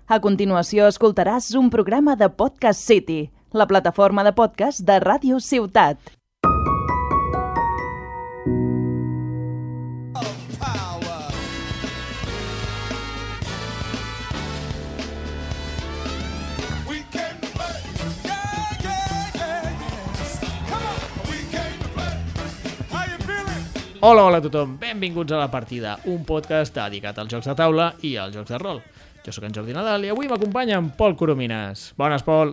A continuació escoltaràs un programa de Podcast City, la plataforma de podcast de Ràdio Ciutat. Hola a tothom, benvinguts a La Partida, un podcast dedicat als jocs de taula i als jocs de rol. Jo sóc en Jordi Nadal i avui m'acompanya en Pol Coromines. Bones, Pol.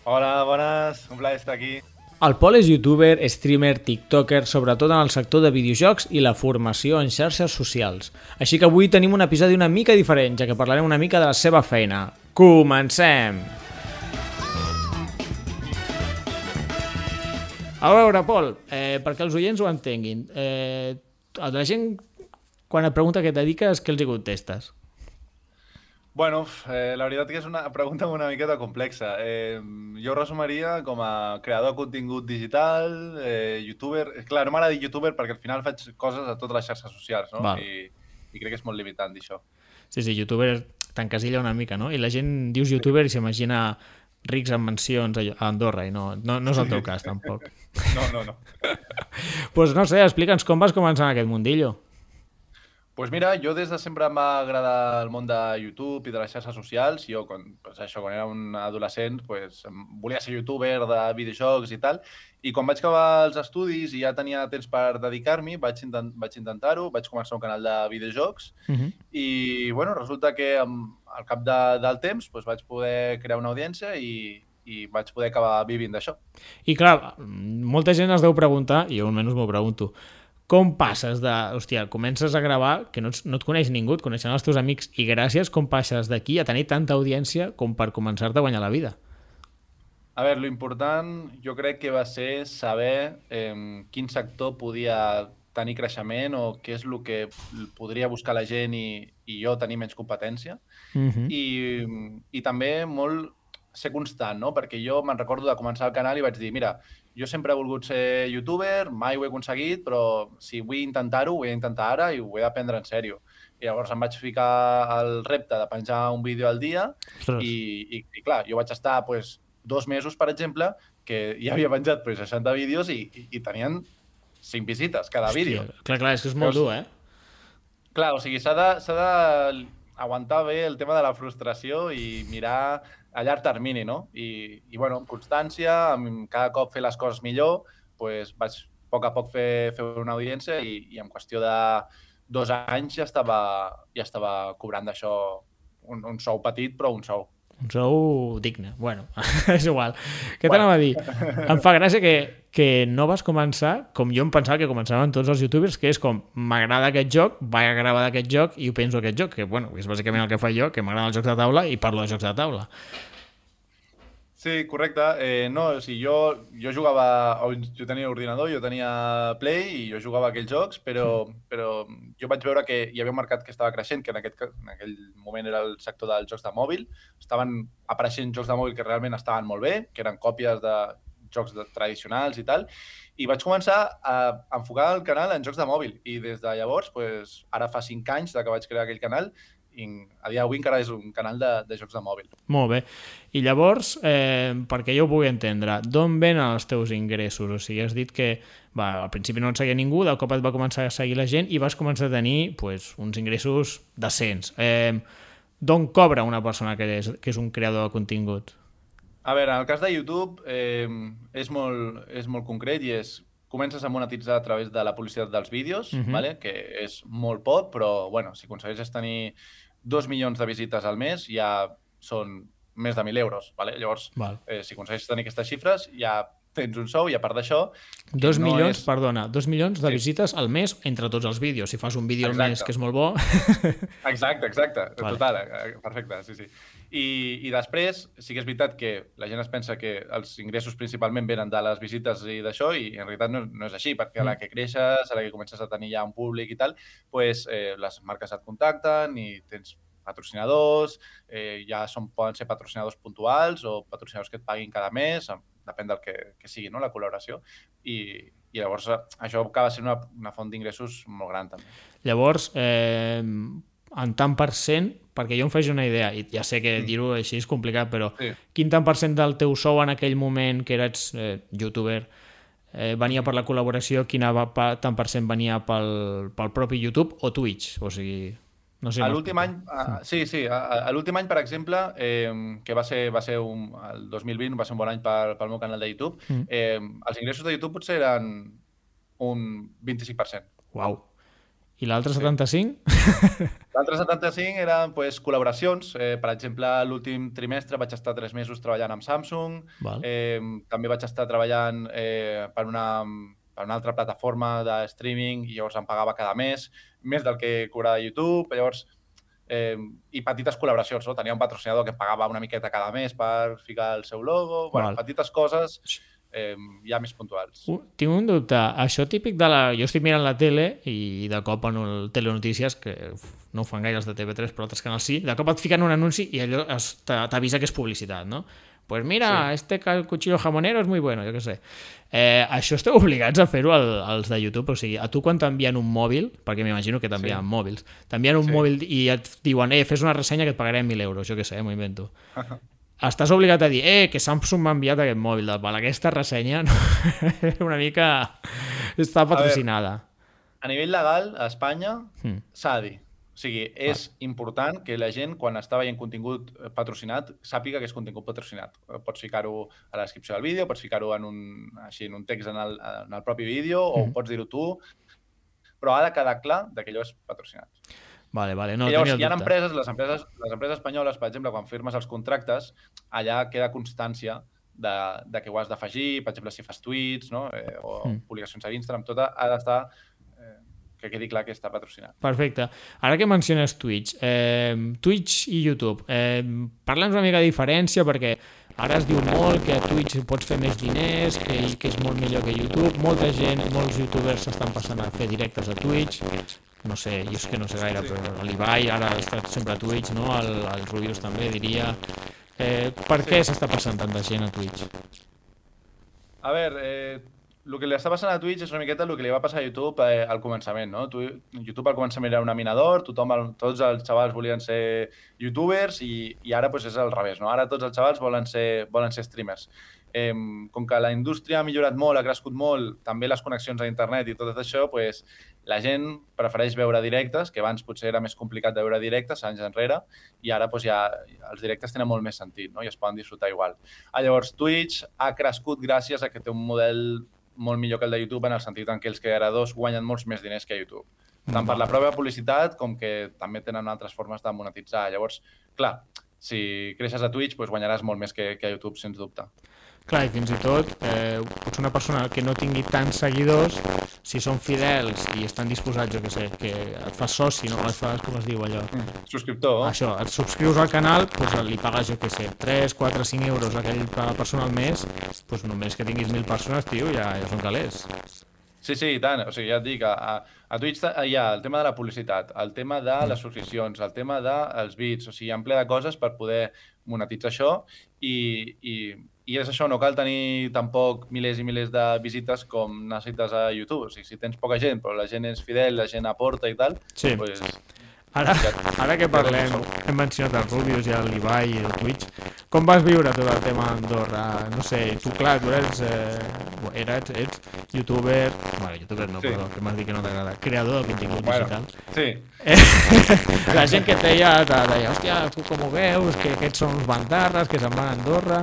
Hola, bones, un plaer estar aquí. El Pol és youtuber, streamer, tiktoker, sobretot en el sector de videojocs i la formació en xarxes socials. Així que avui tenim un episodi una mica diferent, ja que parlarem una mica de la seva feina. Comencem! A veure, Pol, perquè els oients ho entenguin, la gent, quan et pregunta què et dediques, què els hi contestes? Bueno, la veritat que és una pregunta una miqueta complexa. Jo ho resumiria com a creador de contingut digital, youtuber... Clar, no m'agrada dir youtuber perquè al final faig coses a totes les xarxes socials, no? I crec que és molt limitant, dir això. Sí, youtuber t'encasilla una mica, no? I la gent dius youtuber i s'imagina rics en mansions a Andorra i no és el teu cas, tampoc. No. Pues no sé, explica'ns com vas començar en aquest mundillo. Pues mira, jo des de sempre em va agradar el món de YouTube i de les xarxes socials. Jo, quan era un adolescent, volia ser youtuber de videojocs i tal. I quan vaig acabar els estudis i ja tenia temps per dedicar-m'hi, vaig intentar-ho, vaig començar un canal de videojocs i bueno, resulta que al cap del temps vaig poder crear una audiència i vaig poder acabar vivint d'això. I clar, molta gent es deu preguntar, i jo almenys m'ho pregunto, com passes de... Hòstia, comences a gravar, que no et coneix ningú, et coneixen els teus amics, i gràcies, com passes d'aquí a tenir tanta audiència com per començar-te a guanyar la vida? A veure, l'important jo crec que va ser saber quin sector podia tenir creixement o què és el que podria buscar la gent i jo tenir menys competència. I també molt ser constant, no? Perquè jo me'n recordo de començar el canal i vaig dir, mira, jo sempre he volgut ser youtuber, mai ho he aconseguit, però si vull intentar-ho, ho he d'intentar ara i ho he d'aprendre en sèrio. I llavors em vaig ficar el repte de penjar un vídeo al dia i clar, jo vaig estar 2 mesos, per exemple, que ja havia penjat 60 vídeos i tenien 5 visites cada vídeo. Clar, és que és molt dur, eh? Clar, o sigui, s'ha d'aguantar bé el tema de la frustració i mirar a llarg termini, no? I bueno, amb constància, amb cada cop fer les coses millor, vaig a poc fer una audiència i en qüestió de 2 anys ja estava cobrant d'això un sou petit, però un sou. Un sou digne. Bueno, és igual. Què t'anava a dir? Em fa gràcia que no vas començar com jo em pensava que començaven tots els youtubers, que és com, m'agrada aquest joc, vaig a gravar d'aquest joc i ho penso aquest joc, que bueno, és bàsicament el que faig jo, que m'agraden els jocs de taula i parlo de jocs de taula. Sí, correcte. No, o sigui, jo jugava... Jo tenia ordinador, jo tenia Play i jo jugava aquells jocs, però jo vaig veure que hi havia un mercat que estava creixent, que en aquell moment era el sector dels jocs de mòbil. Estaven apareixent jocs de mòbil que realment estaven molt bé, que eren còpies de jocs tradicionals i tal, i vaig començar a enfocar el canal en jocs de mòbil. I des de llavors, ara fa 5 anys que vaig crear aquell canal, i a dia d'avui encara és un canal de jocs de mòbil. Molt bé. I llavors, perquè jo ho pugui entendre, d'on venen els teus ingressos? O sigui, has dit que al principi no et seguia ningú, de cop et va començar a seguir la gent i vas començar a tenir uns ingressos decents. D'on cobra una persona que és un creador de contingut? A veure, en el cas de YouTube és molt concret i comences a monetitzar a través de la publicitat dels vídeos, que és molt poc, però bueno, si aconsegueixes tenir 2 milions de visites al mes ja són més de 1.000 euros. Llavors, si aconsegueixes tenir aquestes xifres, ja tens un sou i a part d'això... 2 milions, perdona, 2 milions de visites al mes entre tots els vídeos. Si fas un vídeo al mes que és molt bo... Exacte. Total, perfecte, sí. I després, sí que és veritat que la gent es pensa que els ingressos principalment venen de les visites i d'això, i en realitat no és així, perquè a la que creixes, a la que comences a tenir ja un públic i tal, les marques et contacten i tens patrocinadors, ja poden ser patrocinadors puntuals o patrocinadors que et paguin cada mes, depèn del que sigui, no?, la col·laboració, i llavors això acaba sent una font d'ingressos molt gran també. Llavors, en tant per cent, perquè jo em faig una idea, i ja sé que dir-ho així és complicat, però Sí. quin tant per cent del teu sou en aquell moment que eres youtuber venia per la col·laboració, quin tant per cent venia pel propi YouTube o Twitch? O sigui, no sé. A l'últim any, a l'últim any, per exemple, que va ser el 2020, va ser un bon any pel meu canal de YouTube, els ingressos de YouTube potser eren un 25%. Uau. I l'altre 75? L'altre 75 eren pues, col·laboracions. Per exemple, l'últim trimestre vaig estar 3 mesos treballant amb Samsung. Val. També vaig estar treballant per una altra plataforma de streaming i llavors em pagava cada mes, més del que cobrava YouTube. Llavors, i petites col·laboracions, no? Tenia un patrocinador que em pagava una miqueta cada mes per ficar el seu logo. Bueno, petites coses ja més puntuals. Tinc un dubte. Això típic de la... Jo estic mirant la tele i de cop en el Telenotícies, que no ho fan gaire els de TV3 però altres canals sí, de cop et fiquen un anunci i allò t'avisa que és publicitat, no? Pues mira, este cuchillo jamonero és muy bueno, jo què sé. Això esteu obligats a fer-ho als de YouTube? O sigui, a tu quan t'envien un mòbil, perquè m'imagino que t'envien mòbils, t'envien un mòbil i et diuen fes una ressenya que et pagarem 1.000 euros, jo què sé, m'ho invento. Estàs obligat a dir que Samsung m'ha enviat aquest mòbil, aquesta ressenya una mica està patrocinada. A nivell legal, a Espanya s'ha de dir. O sigui, és important que la gent, quan està veient contingut patrocinat, sàpiga que és contingut patrocinat. Pots ficar-ho a la descripció del vídeo, pots ficar-ho en un text en el propi vídeo, o pots dir-ho tu, però ha de quedar clar que allò és patrocinat. Vale, no llavors, tenia hi ha dubte. les empreses espanyoles, per exemple, quan firmes els contractes, allà queda constància de que ho has d'afegir, per exemple, si fas tuits, no? O publicacions a Instagram, tot ha d'estar que quedi clar que està patrocinat. Perfecte. Ara que menciones Twitch, Twitch i YouTube, parla'ns una mica de diferència, perquè ara es diu molt que a Twitch pots fer més diners, que és molt millor que YouTube. Molta gent, molts youtubers s'estan passant a fer directes a Twitch. No sé, jo és que no sé gaire, però l'Ibai ara està sempre a Twitch, no? El Rubius també, diria. Per què s'està passant tanta gent a Twitch? A veure, el que li està passant a Twitch és una miqueta el que li va passar a YouTube al començament, no? YouTube al començament era un aminador, tots els xavals volien ser youtubers i ara pues, és al revés, no? Ara tots els xavals volen ser streamers. Com que la indústria ha millorat molt, ha crescut molt, també les connexions a internet i tot això, pues, la gent prefereix veure directes, que abans potser era més complicat de veure directes, anys enrere, i ara pues, ja els directes tenen molt més sentit, no? I es poden disfrutar igual. Llavors, Twitch ha crescut gràcies a que té un model molt millor que el de YouTube en el sentit en què els creadors guanyen molts més diners que a YouTube. Tant per la pròpia publicitat com que també tenen altres formes de monetitzar. Llavors, clar, si creixes a Twitch doncs guanyaràs molt més que a YouTube, sens dubte. Clar, i fins i tot, potser una persona que no tingui tants seguidors, si són fidels i estan disposats, jo què sé, que et fas soci, no? Et fas, com es diu allò? Subscriptor. Això, et subscrius al canal, doncs li pagues, jo què sé, 3, 4, 5 euros a aquella persona al mes, doncs només que tinguis 1.000 persones, tio, ja són calés. Sí, i tant. O sigui, ja et dic, a Twitch hi ha el tema de la publicitat, el tema de les subscripcions, el tema dels bits, o sigui, hi ha un ple de coses per poder monetitzar això i és això, no cal tenir tampoc milers i milers de visites com necessites a YouTube. O sigui, si tens poca gent, però la gent és fidel, la gent aporta i tal, sí. Doncs... Ara que parlem, hem mencionat el Rubius i l'Ibai i el Twitch, com vas viure tot el tema d'Andorra? No sé, tu clar, tu ets youtuber, bueno, youtuber no, perdó, que m'has dit que no t'agrada, creador de contingut digital. Sí. La gent que et deia, hòstia, tu com ho veus, que aquests són uns bandarres, que se'n van a Andorra...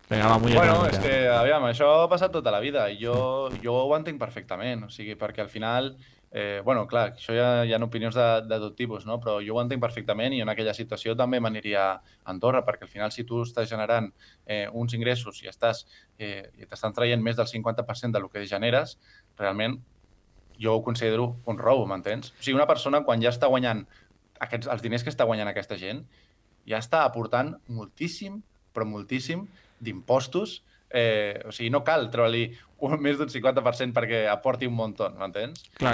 Bueno, és que, aviam, això ha passat tota la vida i jo ho entenc perfectament, o sigui, perquè al final... bueno, clar, això hi ha opinions de tot tipus, no? Però jo ho entenc perfectament i en aquella situació també m'aniria a Andorra, perquè al final si tu estàs generant uns ingressos i t'estan traient més del 50% del que generes, realment jo ho considero un robo, m'entens? O sigui, una persona quan ja està guanyant els diners que està guanyant aquesta gent, ja està aportant moltíssim, però moltíssim, d'impostos. O sigui, no cal treure-li més d'un 50% perquè aporti un muntó, m'entens? Clar.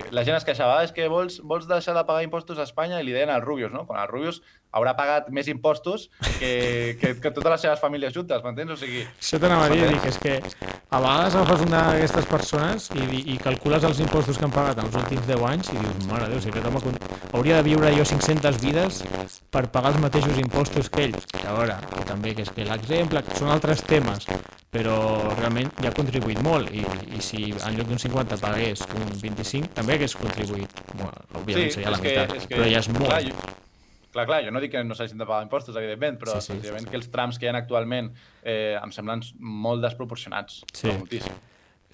La gent es queixava, és que vols deixar de pagar impostos a Espanya? I li deien al Rubius, no? Quan el Rubius haurà pagat més impostos que totes les seves famílies juntes, m'entens? O sigui... Això t'anava a dir, és que a vegades agafes una d'aquestes persones i calcules els impostos que han pagat en els últims 10 anys i dius, mare de Déu, si aquest home hauria de viure jo 500 vides per pagar els mateixos impostos que ell. A veure, també que és que l'exemple són altres temes, però realment ja ha contribuït molt i si en lloc d'un 50 pagués un 25 també hagués contribuït. Bueno, òbviament seria la meitat, però ja és molt. Clar, jo no dic que no s'hagin de pagar impostos, evidentment, però sí. que els trams que hi ha actualment em semblen molt desproporcionats. Sí. Moltíssim.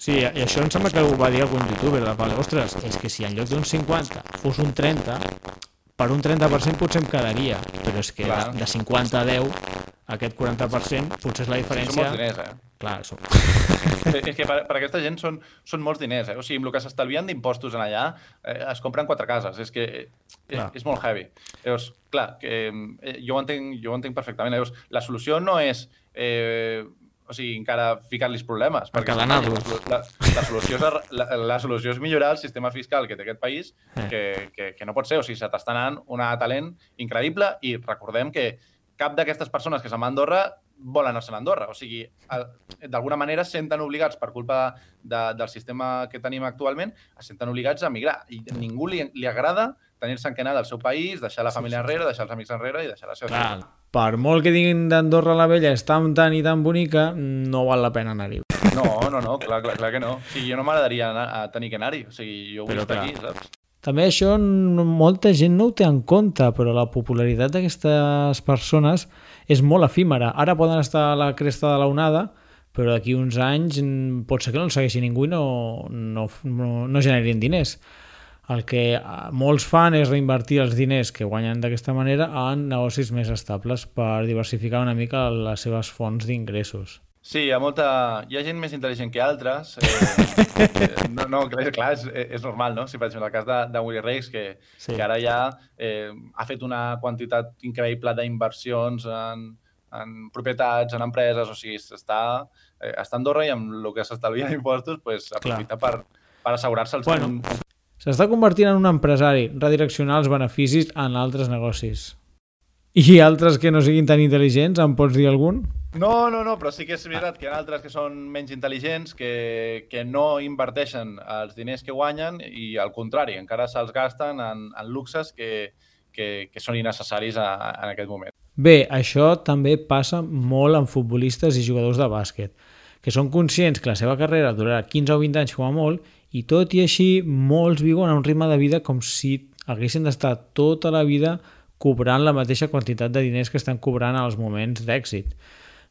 Sí, i això em sembla que ho va dir algun youtuber, ostres, és que si en lloc d'un 50 fos un 30, per un 30% potser em quedaria, però és que de 50 a 10, aquest 40% potser és la diferència... Són molts diners, Clar, és que per aquesta gent són molts diners, O sigui, amb el que s'estalvien d'impostos en allà, es compren 4 cases. És que és molt heavy. Llavors, clar, jo ho entenc perfectament. Llavors, la solució no és encara ficar-los problemes. Encadenar-los. La solució és millorar el sistema fiscal que té aquest país, que no pot ser. O sigui, se t'està anant un talent increïble i recordem que cap d'aquestes persones que se'n va a Andorra volen anar-se'n a Andorra. O sigui, d'alguna manera es senten obligats, per culpa del sistema que tenim actualment, es senten obligats a migrar. I a ningú li agrada tenir-se en anar del seu país, deixar la família enrere, deixar els amics enrere i deixar la seva ciutat. Per molt que diguin d'Andorra la Vella és tan i tan bonica, no val la pena anar-hi. No, clar que no. O sigui, jo no m'agradaria tenir que anar-hi. O sigui, jo vull estar aquí, saps? També això molta gent no ho té en compte, però la popularitat d'aquestes persones és molt efímera. Ara poden estar a la cresta de l'onada, però d'aquí uns anys pot ser que no el segueixi ningú i no generin diners. El que molts fan és reinvertir els diners que guanyen d'aquesta manera en negocis més estables per diversificar una mica les seves fonts d'ingressos. Sí, hi ha gent més intel·ligent que altres. Clar, és normal, no? Si per exemple el cas de Willy Rex, que ara ja ha fet una quantitat increïble d'inversions en propietats, en empreses, o sigui, està a Andorra i amb el que s'estalvia d'impostos aprofita per assegurar-se els... S'està convertint en un empresari, redireccionar els beneficis en altres negocis. I altres que no siguin tan intel·ligents, em pots dir algun? No, però sí que és veritat que hi ha altres que són menys intel·ligents, que no inverteixen els diners que guanyen i, al contrari, encara se'ls gasten en luxes que són innecessaris en aquest moment. Bé, això també passa molt en futbolistes i jugadors de bàsquet, que són conscients que la seva carrera durarà 15 o 20 anys com a molt i tot i així molts viuen a un ritme de vida com si haguessin d'estar tota la vida cobrant la mateixa quantitat de diners que estan cobrant als moments d'èxit.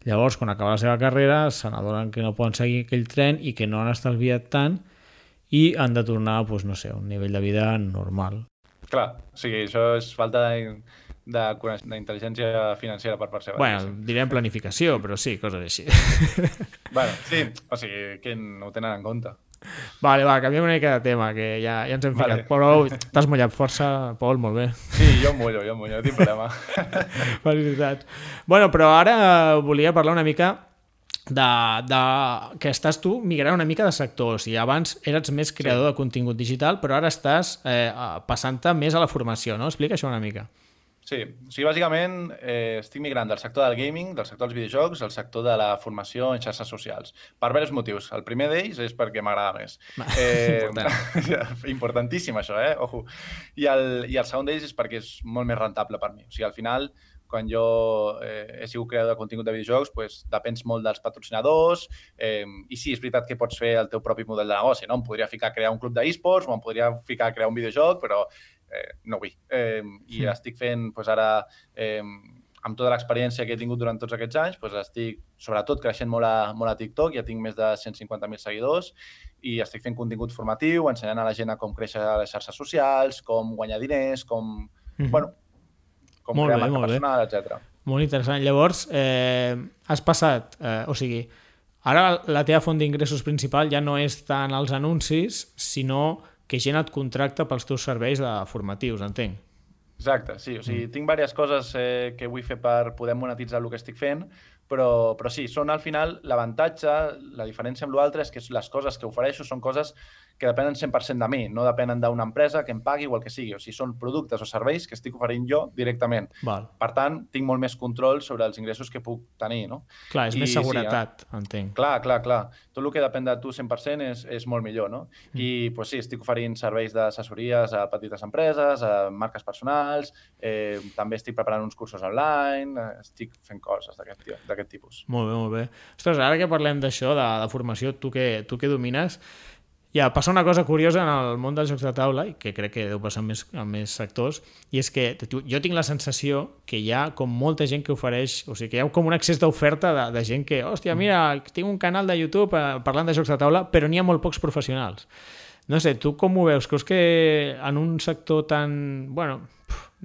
Llavors, quan acaba la seva carrera, se n'adonen que no poden seguir aquell tren i que no han estalviat tant i han de tornar a un nivell de vida normal. Clar, o sigui, això és falta d'intel·ligència financera per part seva. Bueno, direm planificació, però sí, coses així. Bueno, sí, o sigui, que no ho tenen en compte. Vale, canviem una mica de tema, que ja ens hem ficat. Però t'has mullat força, Pol, molt bé. Sí, jo em mullo, no tinc problema. Felicitats. Bueno, però ara volia parlar una mica que estàs tu migrant una mica de sector. O sigui, abans eres més creador de contingut digital, però ara estàs passant-te més a la formació, no? Explica això una mica. Sí, o sigui, bàsicament estic migrant del sector del gaming, del sector dels videojocs, al sector de la formació en xarxes socials. Per diversos motius. El primer d'ells és perquè m'agrada més. Importantíssim, això, Ojo. I el segon d'ells és perquè és molt més rentable per mi. O sigui, al final, quan jo he sigut creador de contingut de videojocs, depens molt dels patrocinadors i sí, és veritat que pots fer el teu propi model de negoci, no? Em podria ficar a crear un club d'esports o em podria ficar a crear un videojoc, però no vull. I estic fent ara, amb tota l'experiència que he tingut durant tots aquests anys, estic sobretot creixent molt a TikTok, ja tinc més de 150.000 seguidors i estic fent contingut formatiu, ensenyant a la gent a com créixer a les xarxes socials, com guanyar diners, com crear marca personal, etc. Molt interessant. Llavors, has passat, o sigui, ara la teva font d'ingressos principal ja no és tant els anuncis, sinó que gent et contracta pels teus serveis formatius, entenc. Exacte, sí. O sigui, tinc diverses coses que vull fer per poder monetitzar el que estic fent, però sí, són al final l'avantatge, la diferència amb l'altre és que les coses que ofereixo són coses que depenen 100% de mi, no depenen d'una empresa que em pagui o el que sigui. O sigui, són productes o serveis que estic oferint jo directament. Val. Per tant, tinc molt més control sobre els ingressos que puc tenir, no? Clar, és més seguretat, entenc. Clar. Tot el que depèn de tu 100% és molt millor, no? I pues, sí, estic oferint serveis d'assessories a petites empreses, a marques personals, també estic preparant uns cursos online, estic fent coses d'aquest tipus. Molt bé, molt bé. Ostres, ara que parlem d'això, de formació, tu que domines, passa una cosa curiosa en el món dels jocs de taula, i que crec que deu passar en més sectors, i és que jo tinc la sensació que hi ha com molta gent que ofereix, o sigui, que hi ha com un excés d'oferta de gent que, hòstia, mira, tinc un canal de YouTube parlant de jocs de taula, però n'hi ha molt pocs professionals. No sé, tu com ho veus? Creus que en un sector tan... Bueno,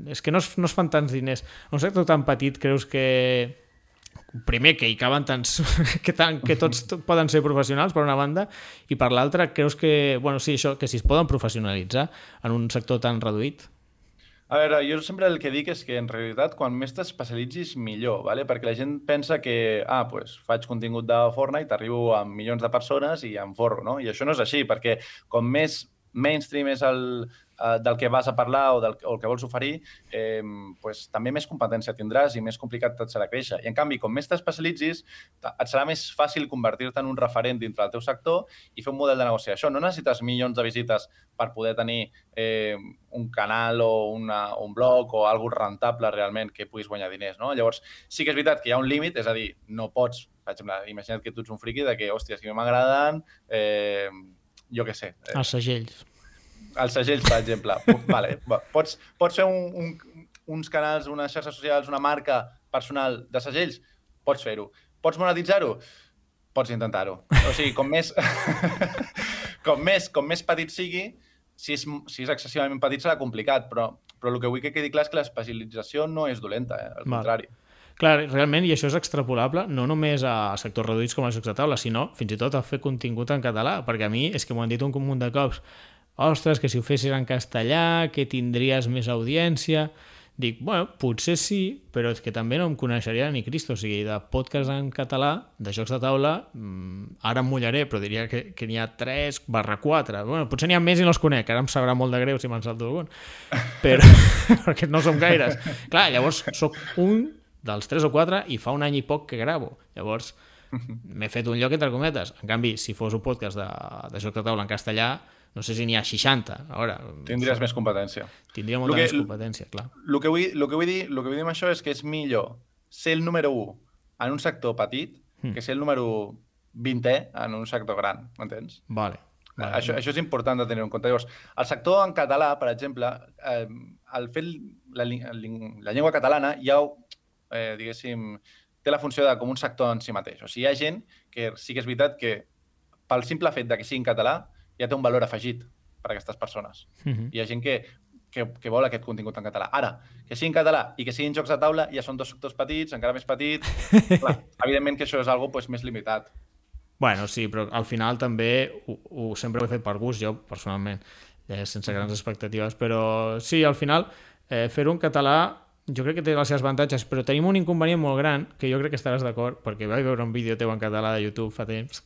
és que no es fan tants diners. En un sector tan petit creus que... Primer, que hi caben tants... que tots poden ser professionals, per una banda, i per l'altra, creus que... Bueno, sí, això, que si es poden professionalitzar en un sector tan reduït? A veure, jo sempre el que dic és que, en realitat, quan més t'especialitzis, millor, ¿vale? Perquè la gent pensa que, pues, faig contingut de Fortnite, arribo a milions de persones i em forro, no? I això no és així, perquè com més mainstream és del que vas a parlar o el que vols oferir, pues, també més competència tindràs i més complicat et serà créixer. I, en canvi, com més t'especialitzis, et serà més fàcil convertir-te en un referent dintre del teu sector i fer un model de negoci. Això no necessites milions de visites per poder tenir un canal o un blog o alguna cosa rentable realment que puguis guanyar diners, no? Llavors, sí que és veritat que hi ha un límit, és a dir, no pots, per exemple, imagina't que tu ets un friqui de que, hòstia, si m'agraden, jo què sé. Els segells. Els segells, per exemple. Vale. Pots fer uns canals, unes xarxes socials, una marca personal de segells? Pots fer-ho. Pots monetitzar-ho? Pots intentar-ho. O sigui, com més petit sigui, si és excessivament petit serà complicat, però el que vull que quedi clar és que l'especialització no és dolenta, al contrari. Clar, realment, i això és extrapolable no només a sectors reduïts com els jocs de taula, sinó fins i tot a fer contingut en català, perquè a mi és que m'ho han dit un munt de cops. Ostres, que si ho fessis en castellà, que tindries més audiència... Dic, bueno, potser sí, però és que també no em coneixeria ni Cristo. O sigui, de podcast en català, de jocs de taula, ara em mullaré, però diria que n'hi ha 3/4. Bueno, potser n'hi ha més i no els conec, ara em sabrà molt de greu si me'n salto algun. Però, perquè no som gaires. Clar, llavors, sóc un dels 3 o 4 i fa un any i poc que gravo. Llavors, m'he fet un lloc entre cometes. En canvi, si fos un podcast de jocs de taula en castellà, no sé si n'hi ha 60. Ara, tindries més competència. Tindria molta més competència, clar. El que vull dir amb això és que és millor ser el número 1 en un sector petit que ser el número 20è en un sector gran, m'entens? Vale. Això és important de tenir en compte. Llavors, el sector en català, per exemple, el fet la llengua catalana ja, diguéssim, té la funció de com un sector en si mateix. O sigui, hi ha gent que sí que és veritat que pel simple fet de que sigui en català ja té un valor afegit per a aquestes persones. Hi ha gent que vol aquest contingut en català. Ara, que sigui en català i que siguin jocs de taula ja són 2 sectors petits, encara més petits. Clar, evidentment que això és algo més limitat. Bueno, sí, però al final també sempre ho he fet per gust, jo personalment, sense grans expectatives, però sí, al final fer-ho en català jo crec que té els seus avantatges, però tenim un inconvenient molt gran, que jo crec que estaràs d'acord, perquè vaig veure un vídeo teu en català de YouTube fa temps,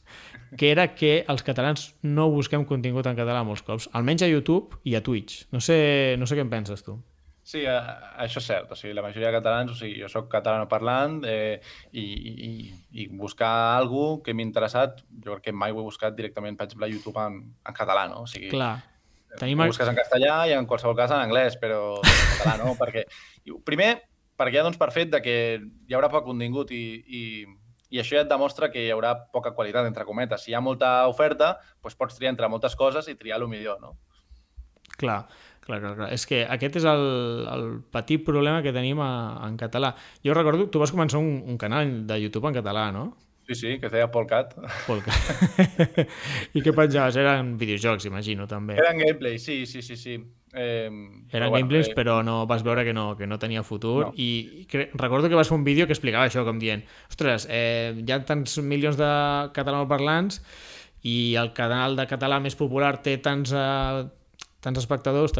que era que els catalans no busquem contingut en català molts cops, almenys a YouTube i a Twitch. No sé què en penses tu. Sí, això és cert. O sigui, la majoria de catalans, o sigui, jo soc catalanoparlant i buscar alguna cosa que m'ha interessat, jo crec que mai ho he buscat directament, per exemple, a YouTube en català, no? O sigui, clar. Ho busques en castellà i en qualsevol cas en anglès, però en català no, perquè... Primer, perquè ja dones per fet que hi haurà poc contingut i això ja et demostra que hi haurà poca qualitat, entre cometes. Si hi ha molta oferta, doncs pots triar entre moltes coses i triar el millor, no? Clar. És que aquest és el petit problema que tenim en català. Jo recordo, tu vas començar un canal de YouTube en català, no? Sí, que es deia Polcat. I què penjaves? Eren videojocs, imagino, també. Eren gameplays, sí. Eren gameplays, però no vas veure que no tenia futur. No. I recordo que vas fer un vídeo que explicava això, com dient, ostres, hi ha tants milions de catalanoparlants i el canal de català més popular té tants tants espectadors,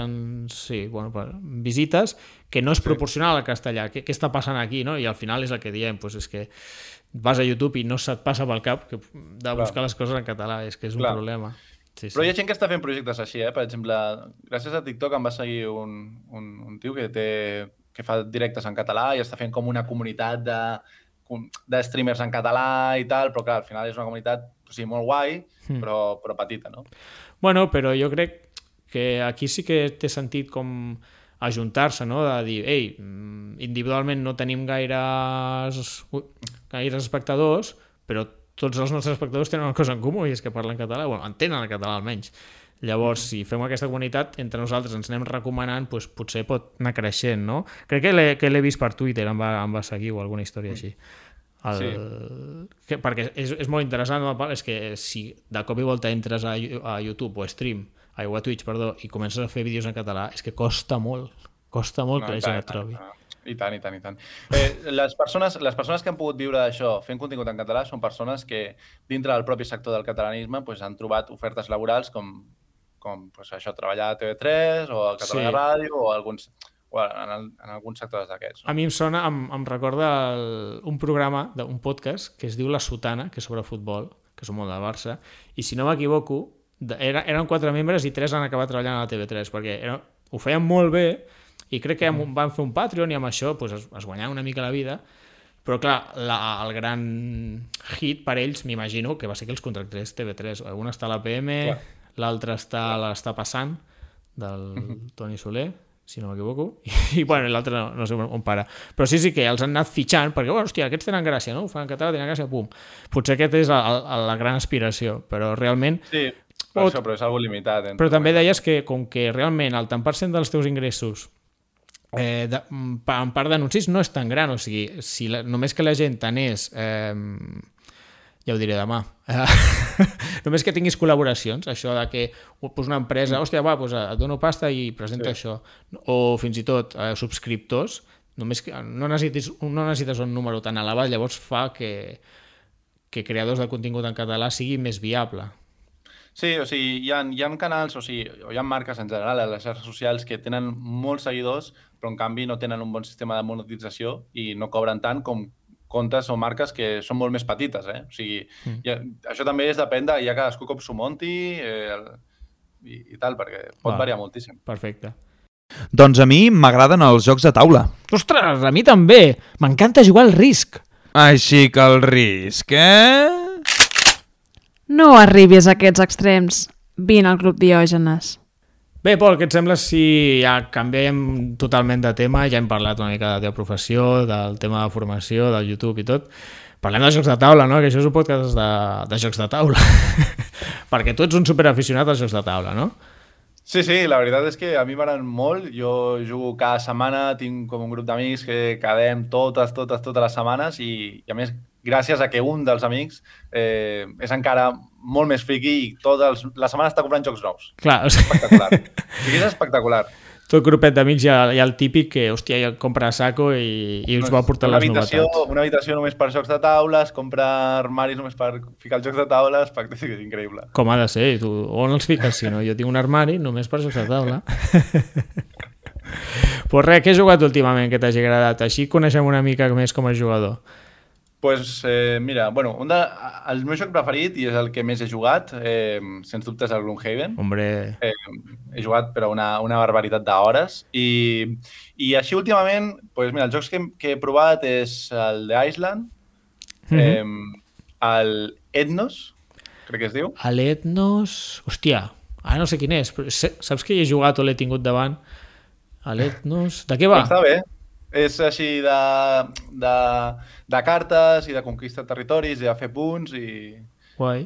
visites, que no és proporcional al castellà. Què està passant aquí, no? I al final és el que diem, és que vas a YouTube i no se't passa pel cap de buscar les coses en català, és que és un problema. Sí. Però hi ha gent que està fent projectes així, per exemple, gràcies a TikTok em va seguir un tio que fa directes en català i està fent com una comunitat de streamers en català i tal, però clar, al final és una comunitat molt guai, però petita, no? Bueno, però jo crec que aquí sí que té sentit com ajuntar-se, no? De dir, ei, individualment no tenim gaires espectadors, però tots els nostres espectadors tenen una cosa en comú i és que parlen català, entenen el català almenys. Llavors, si fem aquesta comunitat, entre nosaltres ens anem recomanant, potser pot anar creixent, no? Crec que l'he vist per Twitter, em va seguir o alguna història així. Perquè és molt interessant, és que si de cop i volta entres a YouTube o a Twitch, i comences a fer vídeos en català, és que costa molt que la gent et trobi. I tant. Les persones que han pogut viure d'això fent contingut en català són persones que dintre del propi sector del catalanisme han trobat ofertes laborals com això, treballar a TV3 o a Catalunya Ràdio o en alguns sectors d'aquests. A mi em recorda un programa, un podcast que es diu La Sotana, que és sobre futbol, que són molt del Barça, i si no m'equivoco, eren 4 membres i 3 han acabat treballant a la TV3, perquè ho feien molt bé i crec que van fer un Patreon i amb això es guanyaven una mica la vida, però clar, el gran hit per ells, m'imagino, que va ser que els contractés TV3. Un està a la PM, l'altre l'està passant, del Toni Soler, si no m'equivoco, i l'altre no sé on para. Però sí que els han anat fitxant, perquè, hòstia, aquests tenen gràcia, no? Ho fan en català, tenen gràcia, pum. Potser aquest és la gran aspiració, però realment... Sí, però és algo limitat. Però també deies que, com que realment el tant per cent dels teus ingressos en part d'anuncis no és tan gran, o sigui, si només que la gent tenés, ja ho diré demà, només que tinguis col·laboracions, això de que una empresa, hòstia, et dono pasta i presenta això, o fins i tot subscriptors, només que no necessites un número tan elevat, llavors fa que creadors de contingut en català sigui més viable. Sí, o sigui, hi ha canals, o hi ha marques en general a les xarxes socials que tenen molts seguidors, però en canvi no tenen un bon sistema de monetització i no cobren tant com comptes o marques que són molt més petites. O sigui, això també depèn de ja cadascú com s'ho munti i tal, perquè pot variar moltíssim. Perfecte. Doncs a mi m'agraden els jocs de taula. Ostres, a mi també! M'encanta jugar al Risk. Així que el Risk, No arribis a aquests extrems. Vine al Club Diògenes. Bé, Pol, què et sembla si ja canviem totalment de tema? Ja hem parlat una mica de la teva professió, del tema de formació, del YouTube i tot. Parlem de jocs de taula, no? Que això és un podcast de jocs de taula. Perquè tu ets un superaficionat als jocs de taula, no? Sí, la veritat és que a mi m'agraden molt. Jo jugo cada setmana, tinc com un grup d'amics que quedem totes les setmanes i a més, gràcies a que un dels amics és encara molt més friqui i la setmana està comprant jocs nous. Clar, és espectacular. És espectacular. Tot grupet d'amics hi ha el típic que, hòstia, ja compra a saco i us va portar les novetats. Una habitació només per jocs de taula, es compra armaris només per ficar els jocs de taula, és increïble. Com ha de ser? Tu on els fiques? Si no, jo tinc un armari només per jocs de taula. Pues res, què has jugat últimament que t'hagi agradat? Així coneixem una mica més com a jugador. Pues mira, bueno, el meu joc preferit, i és el que més he jugat, sens dubte és el Gloomhaven. Hombre. He jugat però una barbaritat d'hores. I així últimament, pues mira, els jocs que he provat és el d'Island, el Ethnos, crec que es diu. L'Ethnos... Hòstia, ara no sé quin és, però saps que hi he jugat o l'he tingut davant? L'Ethnos... De què va? Està bé. És així de cartes i de conquista de territoris i de fer punts i... Guai.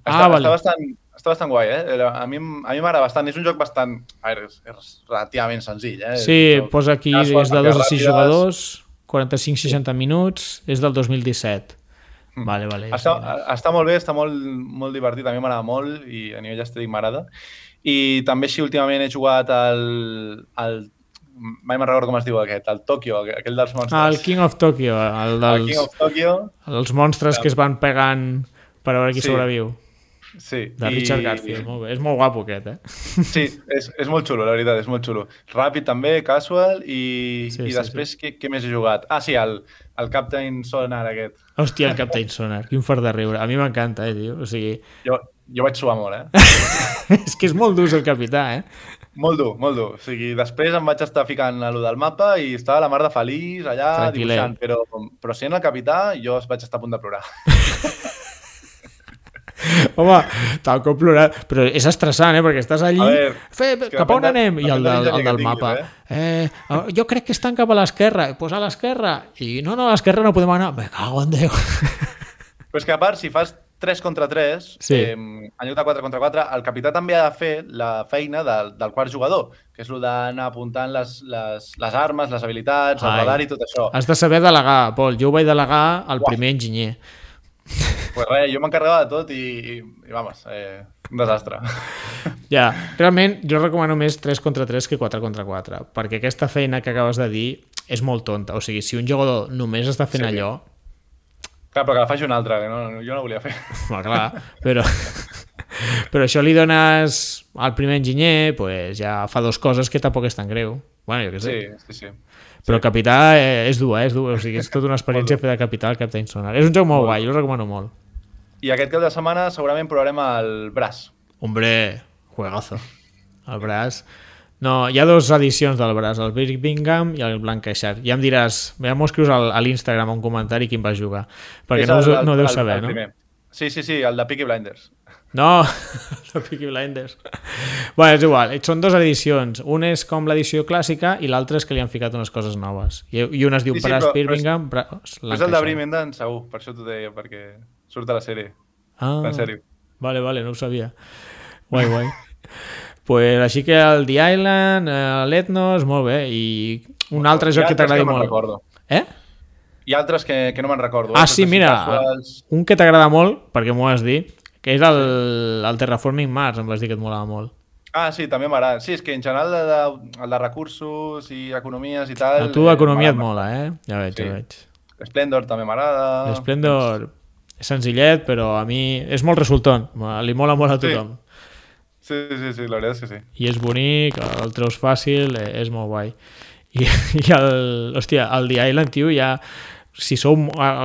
Està bastant guai, A mi m'agrada bastant. És un joc bastant... A veure, és relativament senzill, Sí, posa aquí, és de 2 a 6 jugadors, 45-60 minuts, és del 2017. Vale. Està molt bé, està molt divertit, a mi m'agrada molt i a nivell estètic m'agrada. I també així últimament he jugat al mai me'n recordo com es diu aquest, el Tokyo, aquell dels monstres. El King of Tokyo, el King of Tokyo. Els monstres que es van pegant per veure qui sobreviu. Sí. De Richard Garfield, molt bé. És molt guapo aquest, Sí, és molt xulo, la veritat, és molt xulo. Ràpid també, casual, i després què més he jugat? Ah, sí, el Captain Sonar aquest. Hòstia, el Captain Sonar, quin fart de riure. A mi m'encanta, tio. O sigui... Jo vaig suar molt, És que és molt dur el capità, Molt dur, molt dur. O sigui, després em vaig estar ficant a lo del mapa i estava la mar de feliç allà dibuixant, però sent el capità jo vaig estar a punt de plorar. Home, tal com plorar, però és estressant, perquè estàs allí, cap on anem? I el del mapa, jo crec que estan cap a l'esquerra, doncs a l'esquerra, i no, a l'esquerra no podem anar, me cago en Déu. Però és que a part, si fas 3 contra 3, en lloc de 4 contra 4, el capità també ha de fer la feina del quart jugador, que és el d'anar apuntant les armes, les habilitats, el radar i tot això. Has de saber delegar, Pol. Jo ho vaig delegar al primer enginyer. Pues res, jo m'encarregava de tot i vamos, un desastre. Ja, realment jo recomano més 3 contra 3 que 4 contra 4, perquè aquesta feina que acabes de dir és molt tonta. O sigui, si un jugador només està fent allò... Clar, però que la faci un altre, que jo no volia fer. Clar, però això li dones al primer enginyer, pues ja fa 2 coses que tampoc és tan greu. Bueno, jo què sé. Sí. Però el capità és dur, o sigui, és tota una experiència fer de capità al Captain Sonar. És un joc molt guai, jo el recomano molt. I aquest cap de setmana segurament provarem el Brass. Hombre, juegazo. El Brass... No, hi ha 2 edicions del Brass, el Birmingham i el Lancashire. Ja em diràs, ja m'ho escrius a l'Instagram un comentari quin vas jugar, perquè no deus saber, no? Sí, el de Peaky Blinders. No, el de Peaky Blinders. Bueno, és igual, són 2 edicions. Un és com l'edició clàssica i l'altra és que li han ficat unes coses noves. I una es diu Brass Birmingham, Brass Lancashire. És el de Birmingham, segur, per això t'ho deia, perquè surt a la sèrie. En sèrio. Vale, no ho sabia. Guai. Pues així que el The Island, l'Ethnos, molt bé, i un altre joc que t'agradi molt. Hi ha altres que no me'n recordo. Ah, sí, mira, un que t'agrada molt, perquè m'ho has dit, que és el Terraforming Mars, em vas dir que et molava molt. Ah, sí, també m'agrada. Sí, és que en general el de recursos i economies i tal... A tu economia et mola, Ja veig. Splendor també m'agrada. Splendor és senzillet, però a mi és molt resultant, li mola molt a tothom. Sí, la veritat és que sí. I és bonic, el treus fàcil, és molt guai. I el The Island, tio, ja... Si sou...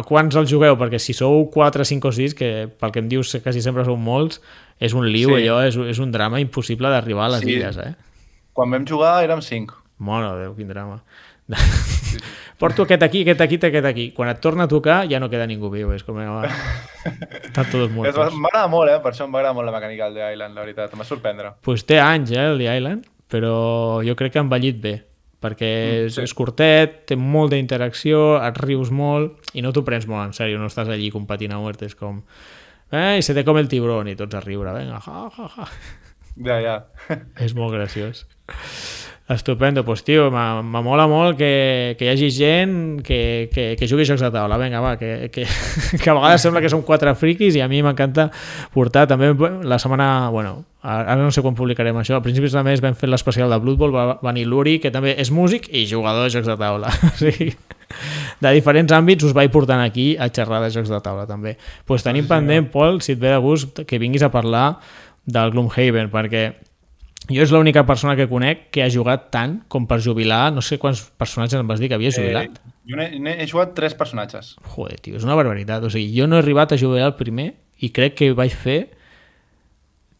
Quants el jugueu? Perquè si sou 4, 5 o 6, que pel que em dius quasi sempre sou molts, és un liu, allò, és un drama impossible d'arribar a les illes, Quan vam jugar érem 5. Mare de Déu, quin drama. Porto aquest aquí. Quan et torna a tocar ja no queda ningú viu, és com... Estan tots morts. M'agrada molt, per això m'agrada molt la mecànica del The Island, la veritat, em va sorprendre. Pues té anys, el The Island, però jo crec que ha envellit bé, perquè és curtet, té molta interacció, et rius molt i no t'ho prens molt en sèrio, no estàs allí competint a muerte, és com... i se te come el tiburón i tots a riure, venga, ja. Ja. És molt graciós. Estupendo, pues tio, m'amola molt que hi hagi gent que jugui jocs de taula, vinga, va, que a vegades sembla que som 4 friquis i a mi m'encanta portar també la setmana, bueno, ara no sé quan publicarem això, a principis de mes vam fer l'especial de Blood Bowl, va venir l'Uri, que també és músic i jugador de jocs de taula, o sigui, de diferents àmbits us vaig portant aquí a xerrar de jocs de taula també. Pues tenim pendent, Pol, si et ve de gust, que vinguis a parlar del Gloomhaven, perquè jo és l'única persona que conec que ha jugat tant com per jubilar, no sé quants personatges em vas dir que havia jubilat. Jo he jugat 3 personatges. Joder, tio, és una barbaritat. O sigui, jo no he arribat a jubilar el primer i crec que vaig fer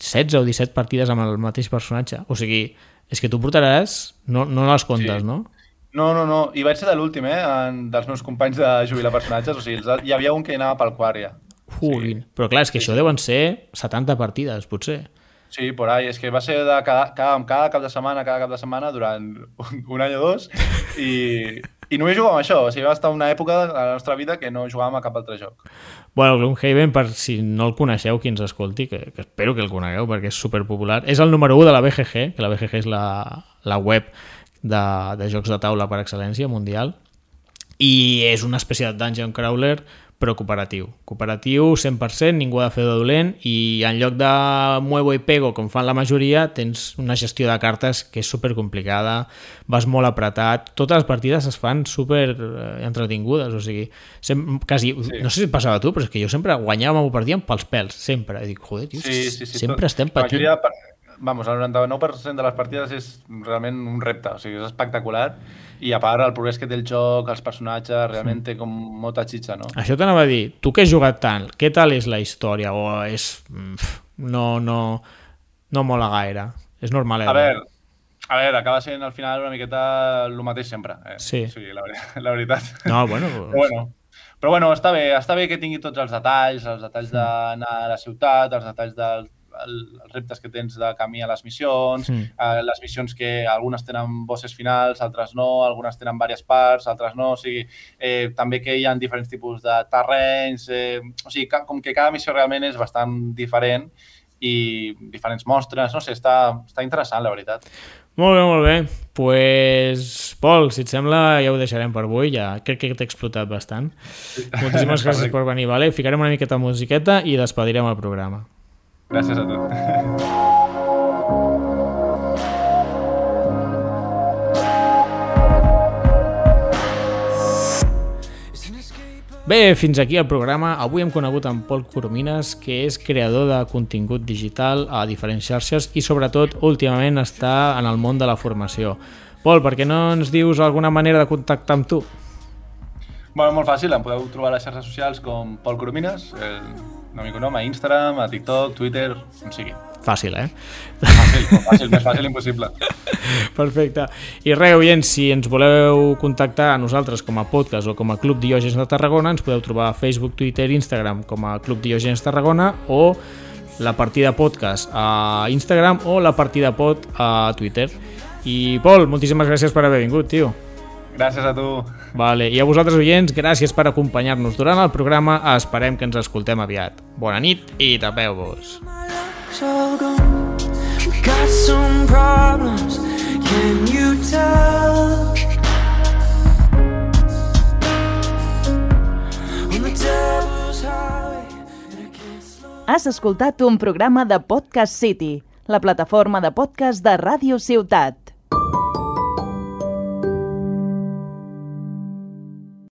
16 o 17 partides amb el mateix personatge. O sigui, és que tu portaràs... No les comptes, no? No. I vaig ser de l'últim, dels meus companys de jubilar personatges. O sigui, hi havia un que anava pel quart ja. Però clar, és que això deuen ser 70 partides, potser. Sí, por ahí. És que va ser de cada cap de setmana durant un any o 2 i només jugàvem això. O sigui, va estar una època de la nostra vida que no jugàvem a cap altre joc. Bueno, Gloomhaven, per si no el coneixeu, qui ens escolti, que espero que el conegueu perquè és superpopular, és el número 1 de la BGG, que la BGG és la web de jocs de taula per excel·lència mundial, i és una espècie de dungeon crawler però cooperatiu. Cooperatiu 100%, ningú ha de fer de dolent i en lloc de muevo i pego com fan la majoria tens una gestió de cartes que és supercomplicada, vas molt apretat, totes les partides es fan super entretingudes, o sigui quasi, sí. No sé si et passava a tu, però és que jo sempre guanyava una partida pels pèls, sempre, i dic, joder, tio, sempre estem patint. Vamos, el 99% de les partides és realment un repte, o sigui, és espectacular i a part el progrés que té el joc, els personatges, realment té com molta xitxa, no? Això t'anava a dir, tu que has jugat tant, què tal és la història? O és... no mola gaire, és normal. A veure, acaba sent al final una miqueta el mateix sempre. Sí. O sigui, la veritat. No, bueno... Però bueno, està bé que tingui tots els detalls d'anar a la ciutat, els detalls els reptes que tens de camí a les missions, les missions que algunes tenen bosses finals, altres no, algunes tenen diverses parts, altres no, o sigui, també que hi ha diferents tipus de terrenys, o sigui, com que cada missió realment és bastant diferent i diferents mostres, no sé, està interessant, la veritat. Molt bé. Pues, Pol, si et sembla, ja ho deixarem per avui, ja crec que t'he explotat bastant. Moltíssimes gràcies per venir, vale? Ficarem una miqueta de musiqueta i despedirem el programa. Gràcies a tu. Bé, fins aquí el programa. Avui hem conegut en Pol Coromines, que és creador de contingut digital a diferents xarxes i sobretot últimament està en el món de la formació. Pol, per què no ens dius alguna manera de contactar amb tu? Bueno, molt fàcil, em podeu trobar a les xarxes socials com Pol Coromines, el meu nom, a Instagram, a TikTok, Twitter, on sigui. Fàcil, Fàcil, més fàcil impossible. Perfecte. I res, oients, si ens voleu contactar a nosaltres com a podcast o com a Club Diògenes de Tarragona, ens podeu trobar a Facebook, Twitter i Instagram com a Club Diògenes Tarragona o la partida podcast a Instagram o la partida pod a Twitter. I Pol, moltíssimes gràcies per haver vingut, tio. Gràcies a tu. Vale. I a vosaltres, oients, gràcies per acompanyar-nos durant el programa. Esperem que ens escoltem aviat. Bona nit i tapeu-vos. Has escoltat un programa de Podcast City, la plataforma de podcast de Ràdio Ciutat.